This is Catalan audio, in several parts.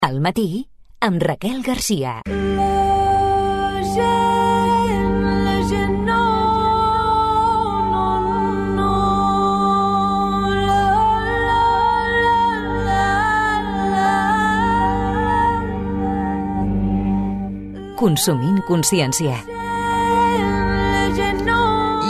Al matí, amb Raquel Garcia. Consumint consciència.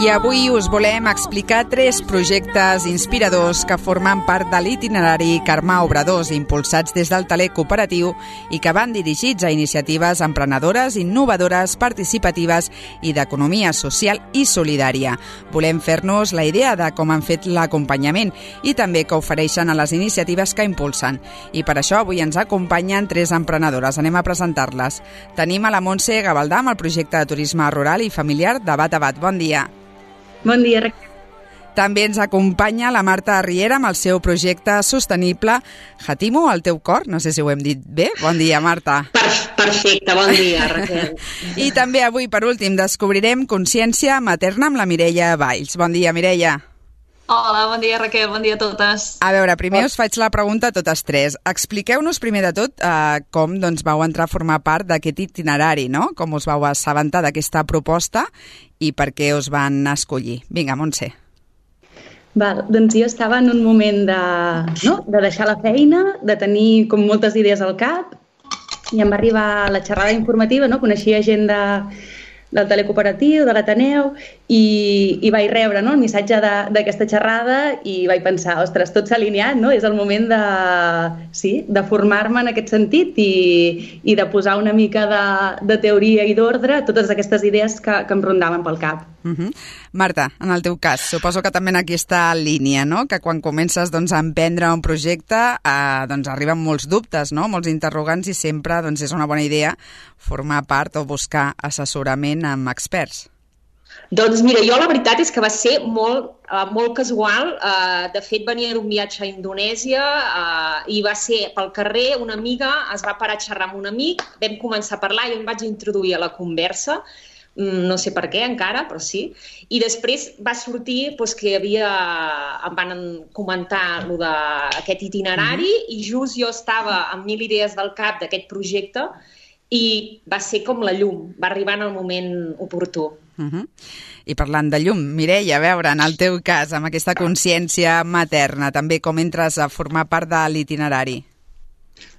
I avui us volem explicar 3 projectes inspiradors que formen part de l'itinerari Carme Obradors, impulsats des del Taler Cooperatiu i que van dirigits a iniciatives emprenedores, innovadores, participatives i d'economia social i solidària. Volem fer-nos la idea de com han fet l'acompanyament i també que ofereixen a les iniciatives que impulsen. I per això avui ens acompanyen 3 emprenedores. Anem a presentar-les. Tenim a la Montse Gavaldà amb el projecte de turisme rural i familiar de Bat a Bat. Bon dia. Bon dia, Raquel. També ens acompanya la Marta Riera amb el seu projecte sostenible Hatimo, el teu cor. No sé si ho hem dit bé. Bon dia, Marta. Perfecte, bon dia, Raquel. I també avui, per últim, descobrirem consciència materna amb la Mireia Valls. Bon dia, Mireia. Hola, bon dia, Raquel, bon dia a totes. A veure, primer us faig la pregunta a totes 3. Expliqueu-nos primer de tot com vau entrar a formar part d'aquest itinerari, no? Com us vau assabentar d'aquesta proposta i per què us van escollir. Vinga, Montse. Doncs jo estava en un moment de deixar la feina, de tenir com moltes idees al cap, i em va arribar la xerrada informativa, no? Coneixia gent del Taler Cooperatiu, de l'Ateneu, i vaig rebre el missatge d'aquesta xerrada i vaig pensar, ostres, tot s'ha alineat, no? És el moment de formar-me en aquest sentit i de posar una mica de teoria i d'ordre a totes aquestes idees que em rondaven pel cap. Marta, en el teu cas, suposo que també en aquesta línia, no? Que quan comences a emprendre un projecte arriben molts dubtes, no? Molts interrogants i sempre és una bona idea formar part o buscar assessorament amb experts. Doncs mira, jo la veritat és que va ser molt casual. De fet, venia d'un viatge a Indonèsia i va ser pel carrer, una amiga es va parar a xerrar amb un amic, vam començar a parlar i em vaig introduir a la conversa, no sé per què encara, però sí, i després va sortir que em van comentar aquest itinerari i just jo estava amb 1000 idees del cap d'aquest projecte i va ser com la llum, va arribar en el moment oportú. I parlant de llum, Mireia, a veure, en el teu cas, amb aquesta consciència materna, també com entres a formar part de l'itinerari?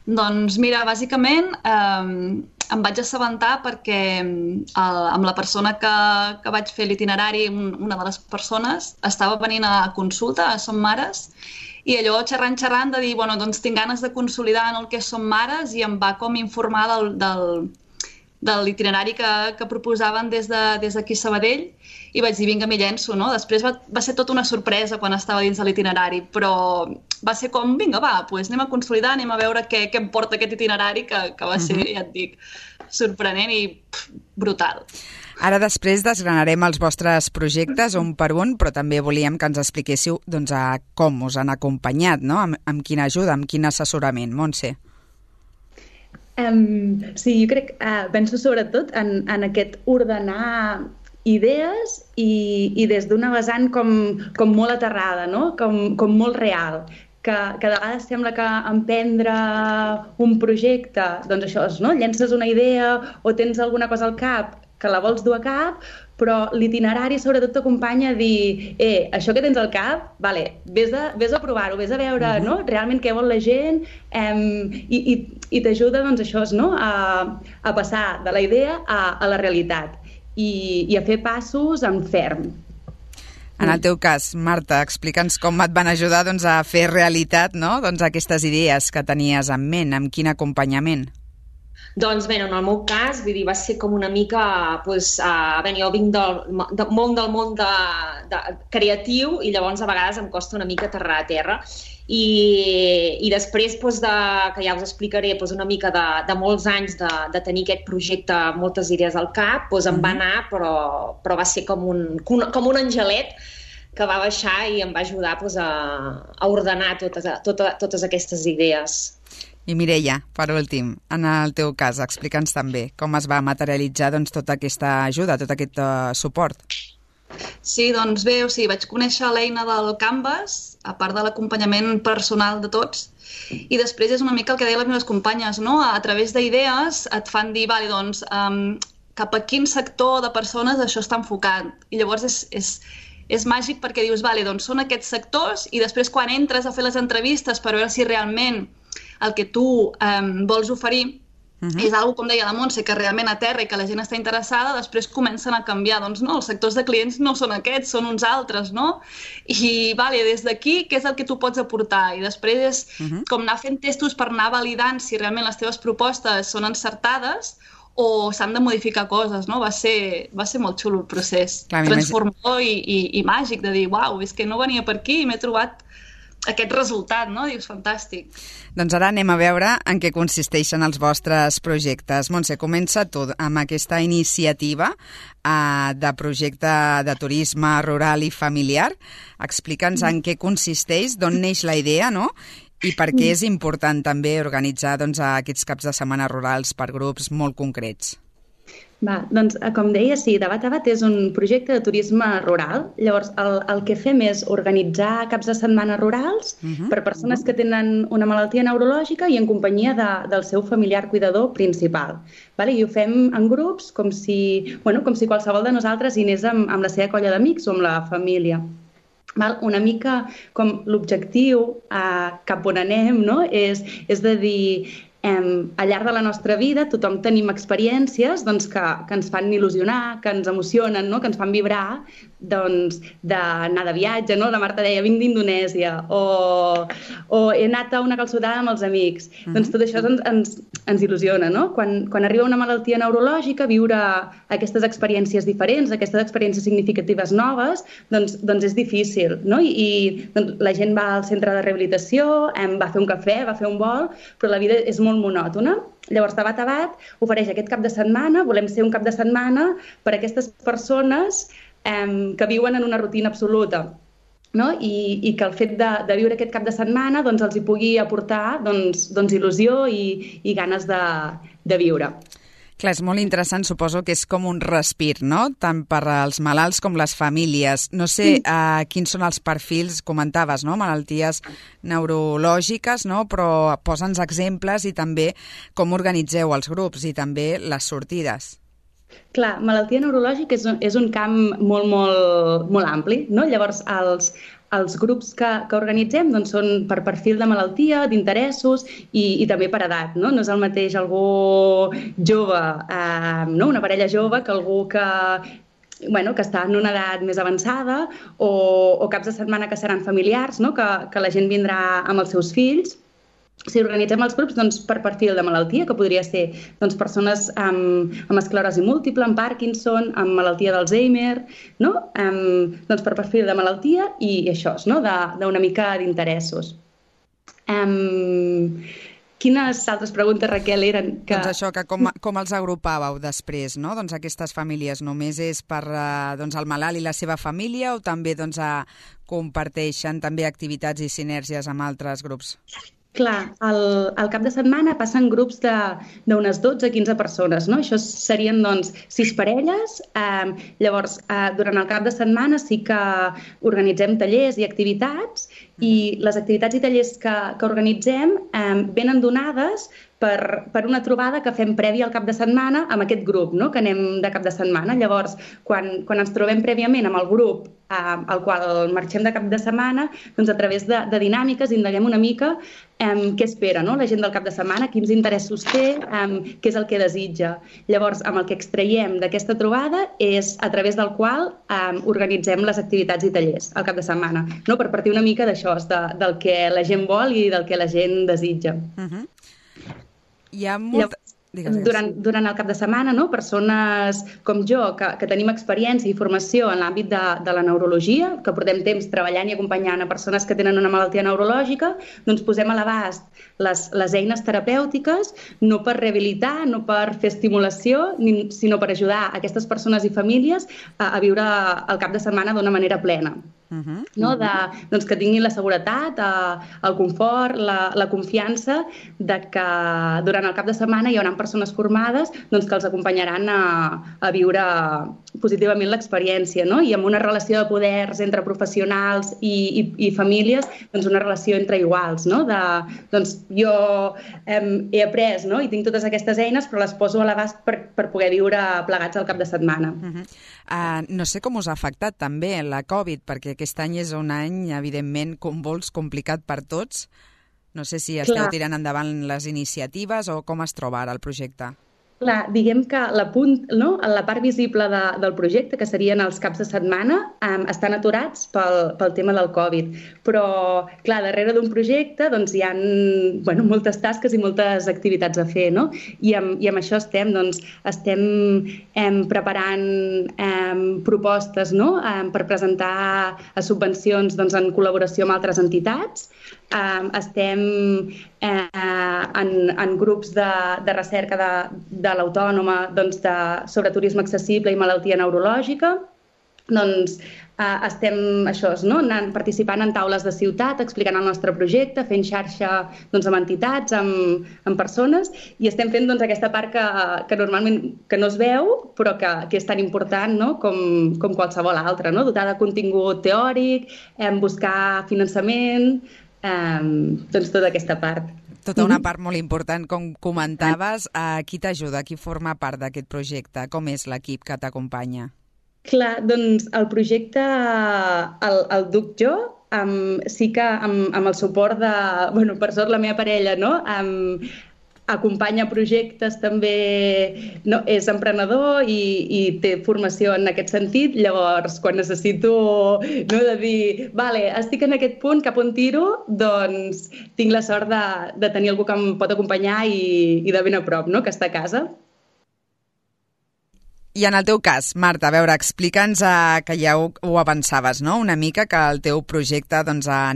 Doncs mira, bàsicament em vaig assabentar perquè amb la persona que vaig fer l'itinerari, una de les persones, estava venint a consulta a Som Mares i allò xerrant de dir, bueno, doncs tinc ganes de consolidar en el que Som Mares i em va com informar de l'itinerari que proposaven des d'aquí a Sabadell i vaig dir, vinga, m'hi llenço, no? Després va ser tota una sorpresa quan estava dins de l'itinerari, però va ser com, vinga, doncs anem a consolidar, anem a veure què em porta aquest itinerari que va ser, ja et dic, sorprenent i brutal. Ara després desgranarem els vostres projectes un per un, però també volíem que ens expliquéssiu com us han acompanyat, no? Amb quina ajuda, amb quin assessorament. Montse. Sí, jo crec, penso sobretot en aquest ordenar idees i des d'una vessant com molt aterrada, no? Com molt real, que de vegades sembla que emprendre un projecte, doncs això és, no? Llences una idea o tens alguna cosa al cap que la vols dur a cap, però l'itinerari sobretot t'acompanya a dir això que tens al cap, vés a provar-ho, vés a veure realment què vol la gent i t'ajuda doncs això, no? A passar de la idea a la realitat i a fer passos en ferm. En el teu cas, Marta, explica'ns com et van ajudar a fer realitat, no? Aquestes idees que tenies en ment, amb quin acompanyament? Doncs bé, en el meu cas, va ser com una mica, jo vinc del món creatiu i llavors a vegades em costa una mica aterrar a terra i després, que ja us explicaré, una mica de molts anys de tenir aquest projecte, moltes idees al cap, em va anar, però va ser com un angelet que va baixar i em va ajudar a ordenar totes aquestes idees. I Mireia, per últim, en el teu cas, explica'ns també com es va materialitzar tota aquesta ajuda, tot aquest suport. Sí, doncs bé, vaig conèixer l'eina del Canvas, a part de l'acompanyament personal de tots, i després és una mica el que deien les meves companyes, no? A través d'idees et fan dir, vale, doncs, cap a quin sector de persones això està enfocat. I llavors és màgic perquè dius, vale, doncs són aquests sectors, i després quan entres a fer les entrevistes per veure si realment el que tu vols oferir és algo, com deia la Montse, que realment aterra i que la gent està interessada, després comencen a canviar. Doncs no, els sectors de clients no són aquests, són uns altres, no? I, vale, des d'aquí, què és el que tu pots aportar? I després és com anar fent testos per anar validant si realment les teves propostes són encertades o s'han de modificar coses, no? Va ser molt xulo el procés. Transformador i màgic, de dir, uau, és que no venia per aquí i m'he trobat aquest resultat, no? Dius, fantàstic. Doncs ara anem a veure en què consisteixen els vostres projectes. Montse, comença tu amb aquesta iniciativa de projecte de turisme rural i familiar. Explica'ns en què consisteix, d'on neix la idea, no? I per què és important també organitzar aquests caps de setmana rurals per grups molt concrets. Doncs, com deia, sí, Debat a Bat és un projecte de turisme rural. Llavors, el que fem és organitzar caps de setmana rurals per persones que tenen una malaltia neurològica i en companyia del seu familiar cuidador principal. I ho fem en grups com si qualsevol de nosaltres hi anés amb la seva colla d'amics o amb la família. Una mica com l'objectiu cap on anem, no? És de dir, al llarg de la nostra vida tothom tenim experiències que ens fan il·lusionar, que ens emocionen, no? Que ens fan vibrar, d'anar de viatge, no? La Marta deia, vinc d'Indonèsia, o he anat a una calçotada amb els amics. Doncs tot això ens il·lusiona, no? Quan arriba una malaltia neurològica, viure aquestes experiències diferents, aquestes experiències significatives noves, doncs és difícil, no? I la gent va al centre de rehabilitació, va a fer un cafè, va a fer un vol, però la vida és molt monòtona. Llavors, Debat a Bat ofereix aquest cap de setmana, volem ser un cap de setmana per a aquestes persones que viuen en una rutina absoluta, no? I que el fet de viure aquest cap de setmana els hi pugui aportar il·lusió i ganes de viure. Clar, és molt interessant, suposo que és com un respir, no? Tant per als malalts com les famílies. No sé quins són els perfils, comentaves, no? Malalties neurològiques, no? Però posa'ns exemples i també com organitzeu els grups i també les sortides. Clar, malaltia neurològica és un camp molt, molt, molt ampli, no? Llavors, els grups que organitzem són per perfil de malaltia, d'interessos i també per edat, no? No és el mateix algú jove, una parella jove, que algú que està en una edat més avançada o caps de setmana que seran familiars, no? Que la gent vindrà amb els seus fills. Si organitzem els grups per perfil de malaltia, que podria ser persones amb esclerosi múltiple, amb Parkinson, amb malaltia d'Alzheimer, no? Per perfil de malaltia i això, no? D'una mica d'interessos. Quines altres preguntes, Raquel, eren? Doncs això, que com els agrupàveu després, no? Doncs aquestes famílies només és per el malalt i la seva família o també comparteixen també activitats i sinergies amb altres grups? Clar, al cap de setmana passen grups d'unes 12-15 persones, no? Això serien, 6 parelles. Llavors, durant el cap de setmana sí que organitzem tallers i activitats i les activitats i tallers que organitzem venen donades per una trobada que fem prèvia al cap de setmana amb aquest grup, no? Que anem de cap de setmana. Llavors, quan ens trobem prèviament amb el grup al qual marxem de cap de setmana, a través de dinàmiques indaguem una mica què espera, no? La gent del cap de setmana, quins interessos té, què és el que desitja. Llavors, amb el que extraiem d'aquesta trobada és a través del qual organitzem les activitats i tallers al cap de setmana, no? Per partir una mica d'això, del que la gent vol i del que la gent desitja. Hi ha molt... Durant el cap de setmana, no? Persones com jo, que tenim experiència i formació en l'àmbit de la neurologia, que portem temps treballant i acompanyant a persones que tenen una malaltia neurològica, posem a l'abast les eines terapèutiques, no per rehabilitar, no per fer estimulació, sinó per ajudar aquestes persones i famílies a viure el cap de setmana d'una manera plena. no? Doncs que tinguin la seguretat, el confort, la confiança de que durant el cap de setmana hi haurà persones formades doncs, que els acompanyaran a viure positivament l'experiència, no? I amb una relació de poders entre professionals i famílies, doncs una relació entre iguals, no? Doncs jo he après, no? I tinc totes aquestes eines, però les poso a l'abast per poder viure plegats al cap de setmana. No sé com us ha afectat també la Covid, perquè aquest any és un any, evidentment, convuls, complicat per tots. No sé si esteu tirant endavant les iniciatives o com es troba ara el projecte. Clar, diguem que la part visible del projecte, que serien els caps de setmana, estan aturats pel tema del Covid. Però, clar, darrere d'un projecte doncs, hi ha moltes tasques i moltes activitats a fer, no? I amb això estem preparant propostes, no? Per presentar a subvencions en col·laboració amb altres entitats. Estem en grups de recerca de l'Autònoma sobre turisme accessible i malaltia neurològica. Doncs estem participant en taules de ciutat, explicant el nostre projecte, fent xarxa amb entitats, amb persones, i estem fent aquesta part que normalment que no es veu, però que és tan important, no? com qualsevol altra, no? Dotar de contingut teòric, buscar finançament, tota aquesta part. Tota una part molt important, com comentaves. Qui t'ajuda? Qui forma part d'aquest projecte? Com és l'equip que t'acompanya? Clar, doncs el projecte el duc jo, sí que amb el suport de, per sort la meva parella, no? Acompanya projectes també, no, és emprenedor i té formació en aquest sentit. Llavors, quan necessito de dir, vale, estic en aquest punt, cap on tiro, doncs tinc la sort de tenir algú que em pot acompanyar i de ben a prop, no? Que està a casa. I en el teu cas, Marta, a veure, explica'ns que ja ho avançaves, no? Una mica que el teu projecte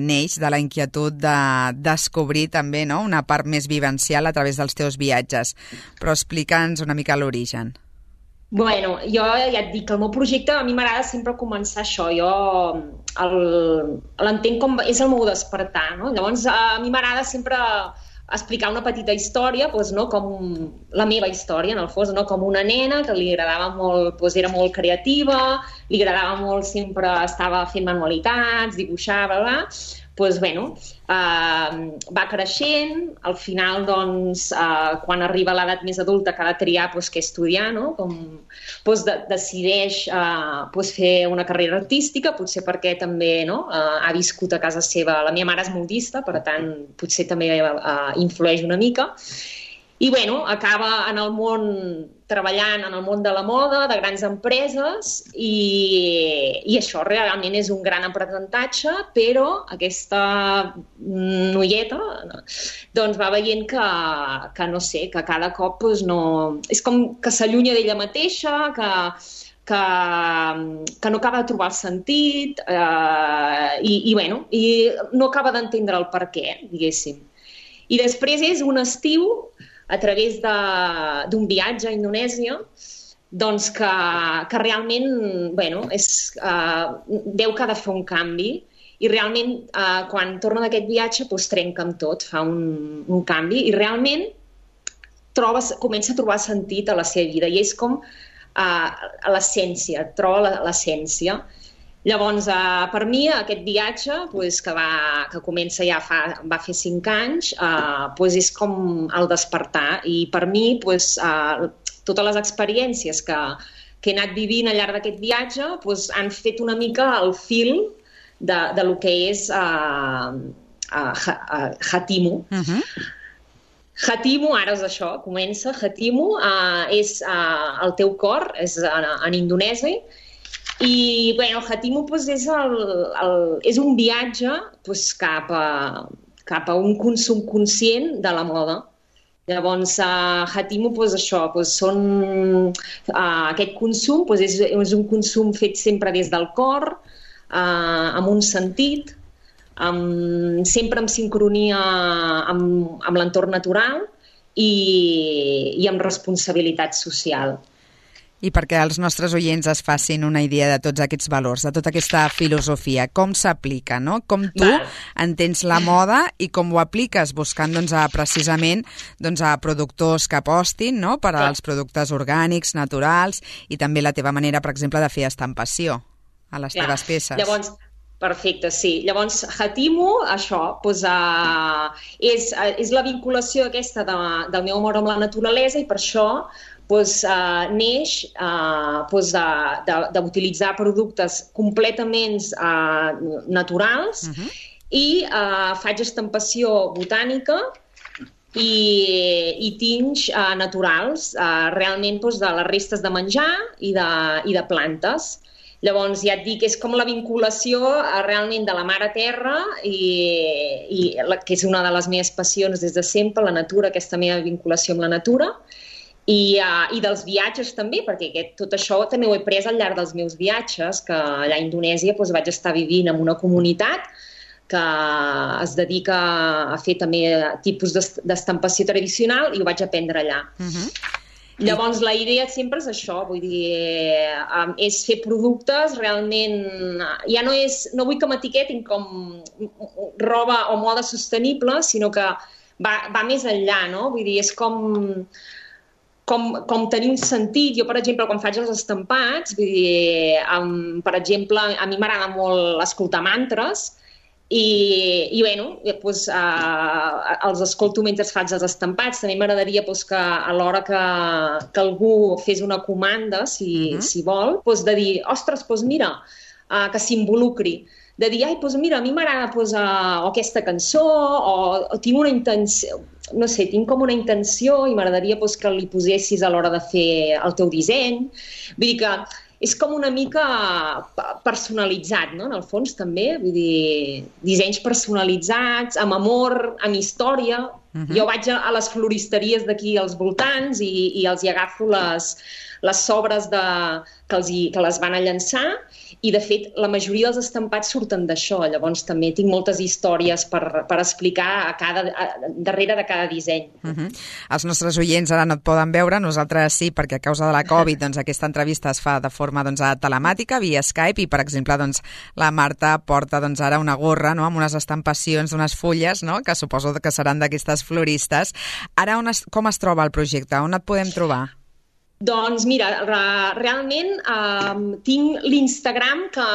neix de la inquietud de descobrir també, no? Una part més vivencial a través dels teus viatges. Però explica'ns una mica l'origen. Bueno, jo ja et dic que el meu projecte a mi m'agrada sempre començar això. Jo l'entenc com és el meu despertar, no? Llavors a mi m'agrada sempre explicar una petita història, com la meva història, en el fons, com una nena que li agradava molt, era molt creativa, li agradava molt, sempre estava fent manualitats, dibuixar, bla, bla. Va creixent, al final, quan arriba a l'edat més adulta que ha de triar què estudiar, no? Decideix fer una carrera artística, potser perquè també ha viscut a casa seva. La meva mare és modista, per tant, potser també influeix una mica. I acaba treballant en el món de la moda, de grans empreses, i això realment és un gran aprenentatge, però aquesta noieta va veient que no sé, que cada cop no... És com que s'allunya d'ella mateixa, que no acaba de trobar el sentit i no acaba d'entendre el per què, diguéssim. I després és un estiu, a través d'un viatge a Indonèsia, que realment veu que ha de fer un canvi i realment quan torna d'aquest viatge trenca amb tot, fa un canvi i realment comença a trobar sentit a la seva vida i és com l'essència, troba l'essència. Llavors, per mi, aquest viatge, que comença ja va fer 5 anys, és com el despertar. I per mi, totes les experiències que he anat vivint al llarg d'aquest viatge han fet una mica el fil de lo que és Hatimu. Hatimu, ara és això, comença. Hatimu és el teu cor, és en indonesi. I Hatimu és un viatge cap a un consum conscient de la moda. Llavors, Hatimu, aquest consum és un consum fet sempre des del cor, amb un sentit, sempre en sincronia amb l'entorn natural i amb responsabilitat social. I perquè els nostres oients es facin una idea de tots aquests valors, de tota aquesta filosofia, com s'aplica, no? Com tu entens la moda i com ho apliques buscant precisament a productors que apostin, no?, per als productes orgànics, naturals, i també la teva manera, per exemple, de fer estampació a les teves peces. Llavors, perfecte, sí. Llavors, Hatimo, això, és la vinculació aquesta del meu amor amb la naturalesa i per això neix d'utilitzar productes completament naturals i faig estampació botànica i tints naturals, realment de les restes de menjar i de plantes. Llavors, ja et dic, és com la vinculació realment de la mare terra que és una de les meves passions des de sempre, la natura, aquesta meva vinculació amb la natura, i dels viatges també, perquè tot això també ho he pres al llarg dels meus viatges, que allà a Indonèsia vaig estar vivint en una comunitat que es dedica a fer també tipus d'estampació tradicional i ho vaig aprendre allà. Llavors, la idea sempre és això, vull dir, és fer productes realment... Ja no vull que m'etiquetin com roba o moda sostenible, sinó que va més enllà, no? Vull dir, és com tenir un sentit. Jo, per exemple, quan faig els estampats, vull dir, per exemple, a mi m'agrada molt escoltar mantres i bueno, els escolto mentre faig els estampats. També m'agradaria que a l'hora que algú fes una comanda, si vol, de dir, ostres, mira, que s'involucri. De dir, mira, a mi m'agrada aquesta cançó o tinc una intenció, no sé, tinc com una intenció i m'agradaria que li posessis a l'hora de fer el teu disseny. Vull dir que és com una mica personalitzat, no?, en el fons també. Vull dir, dissenys personalitzats, amb amor, amb història. Jo vaig a les floristeries d'aquí als voltants i els hi agafo les sobres que les van a llançar i, de fet, la majoria dels estampats surten d'això. Llavors, també tinc moltes històries per explicar darrere de cada disseny. Els nostres oients ara no et poden veure, nosaltres sí, perquè a causa de la Covid aquesta entrevista es fa de forma telemàtica, via Skype, i, per exemple, la Marta porta ara una gorra amb unes estampacions d'unes fulles, que suposo que seran d'aquestes floristes. Ara, com es troba el projecte? On et podem trobar? Doncs mira, realment tinc l'Instagram que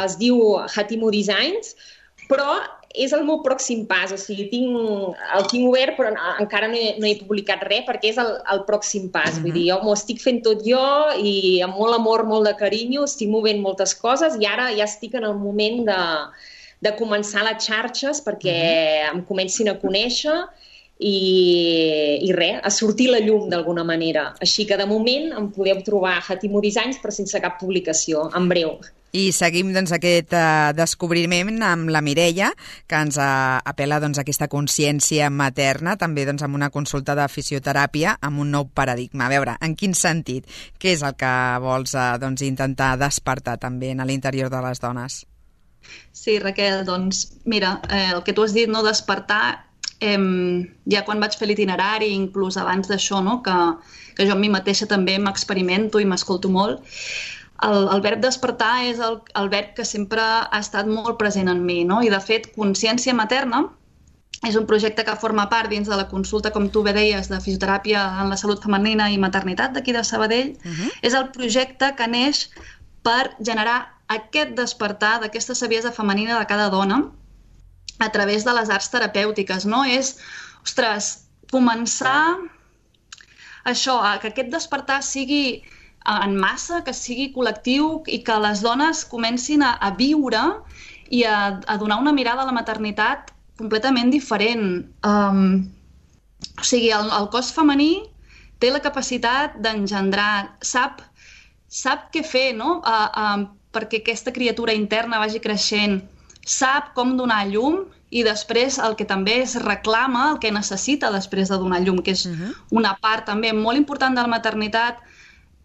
es diu Hatimo Designs, però és el meu pròxim pas, o sigui, el tinc obert però encara no he publicat res perquè és el pròxim pas, vull dir, jo m'ho estic fent tot jo i amb molt amor, molt de carinyo, estic movent moltes coses i ara ja estic en el moment de començar les xarxes perquè em comencin a conèixer i res, a sortir la llum d'alguna manera. Així que de moment em podeu trobar a Hatimo Designs però sense cap publicació, en breu. I seguim aquest descobriment amb la Mireia, que ens apel·la a aquesta consciència materna, també amb una consulta de fisioteràpia amb un nou paradigma. A veure, en quin sentit? Què és el que vols intentar despertar també a l'interior de les dones? Sí, Raquel, doncs mira, el que tu has dit, despertar, ja quan vaig fer l'itinerari, inclús abans d'això, que jo a mi mateixa també m'experimento i m'escolto molt, el verb despertar és el verb que sempre ha estat molt present en mi, i de fet Consciència Materna és un projecte que forma part dins de la consulta, com tu bé deies, de fisioteràpia en la salut femenina i maternitat d'aquí de Sabadell. És el projecte que neix per generar aquest despertar d'aquesta saviesa femenina de cada dona a través de les arts terapèutiques, és, començar això, que aquest despertar sigui en massa, que sigui col·lectiu i que les dones comencin a viure i a donar una mirada a la maternitat completament diferent. O sigui, el cos femení té la capacitat d'engendrar, sap què fer, perquè aquesta criatura interna vagi creixent, sap com donar llum i després el que també es reclama, el que necessita després de donar llum, que és una part també molt important de la maternitat,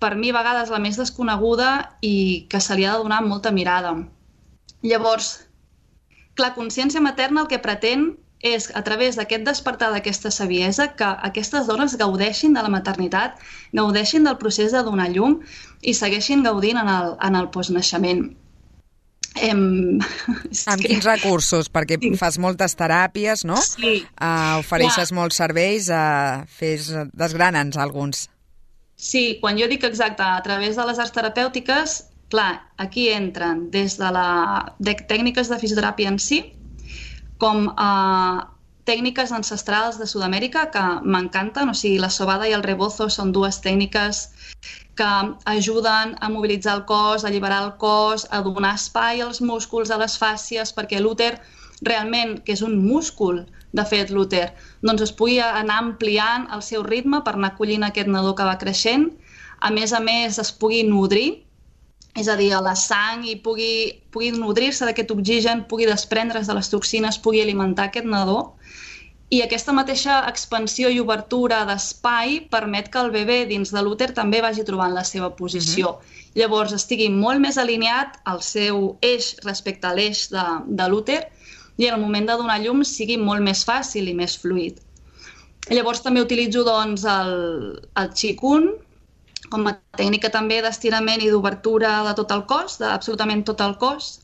per mi a vegades la més desconeguda i que se li ha de donar molta mirada. Llavors, clar, Consciència Materna el que pretén és a través d'aquest despertar d'aquesta saviesa que aquestes dones gaudeixin de la maternitat, gaudeixin del procés de donar llum i segueixin gaudint en el postnaixement. Amb quins recursos? Perquè fas moltes teràpies, no? Sí. Ofereixes molts serveis, desgrana'ns alguns. Sí, quan jo dic exacte, a través de les arts terapèutiques, clar, aquí entren des de tècniques de fisioteràpia en si, com tècniques ancestrals de Sud-amèrica que m'encanten, o sigui, la sobada i el rebozo són dues tècniques que ajuden a mobilitzar el cos, a alliberar el cos, a donar espai als músculs, a les fàscies, perquè l'úter realment, que és un múscul, de fet, l'úter, doncs es pugui anar ampliant el seu ritme per anar acollint aquest nadó que va creixent, a més es pugui nodrir, és a dir, la sang i pugui nodrir-se d'aquest oxigen, pugui desprendre's de les toxines, pugui alimentar aquest nadó. I aquesta mateixa expansió i obertura d'espai permet que el bebè dins de l'úter també vagi trobant la seva posició. Llavors estigui molt més alineat al seu eix respecte a l'eix de l'úter i en el moment de donar llum sigui molt més fàcil i més fluid. Llavors també utilitzo doncs, el Qigong com a tècnica també d'estirament i d'obertura de tot el cos, d'absolutament tot el cos.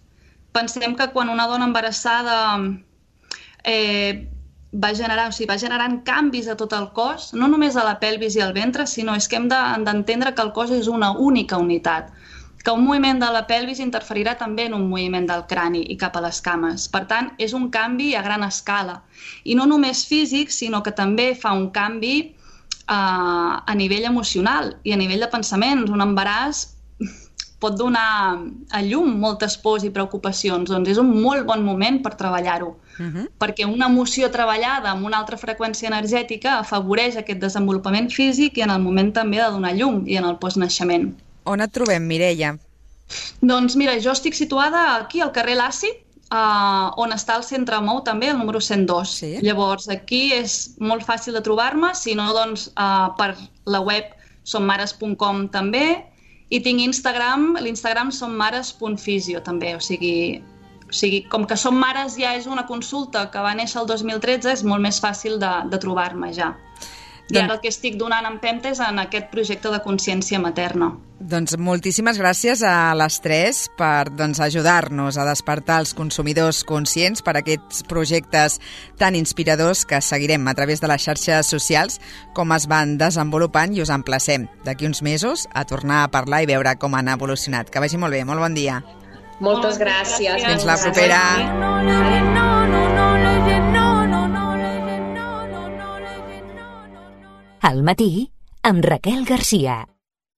Pensem que quan una dona embarassada va generant canvis a tot el cos, no només a la pelvis i al ventre, sinó és que hem d'entendre que el cos és una única unitat, que un moviment de la pelvis interferirà també en un moviment del crani i cap a les cames. Per tant, és un canvi a gran escala. I no només físic, sinó que també fa un canvi a nivell emocional i a nivell de pensaments. Un embaràs pot donar a llum moltes pors i preocupacions, doncs és un molt bon moment per treballar-ho, perquè una emoció treballada amb una altra freqüència energètica afavoreix aquest desenvolupament físic i en el moment també de donar llum i en el postnaixement. On et trobem, Mireia? Doncs mira, jo estic situada aquí al carrer Laci, on està el Centre Mou també, el número 102. Sí. Llavors, aquí és molt fàcil de trobar-me, si no, doncs, per la web sommares.com també, i tinc Instagram, l'Instagram sommares.fisio també, o sigui, com que Som Mares ja és una consulta que va néixer el 2013, és molt més fàcil de trobar-me ja. I ara el que estic donant empenta és en aquest projecte de consciència materna. Doncs moltíssimes gràcies a les tres per ajudar-nos a despertar els consumidors conscients per aquests projectes tan inspiradors que seguirem a través de les xarxes socials com es van desenvolupant i us emplacem d'aquí uns mesos a tornar a parlar i veure com han evolucionat. Que vagi molt bé, molt bon dia. Moltes gràcies. Fins la propera. Al matí, amb Raquel Garcia.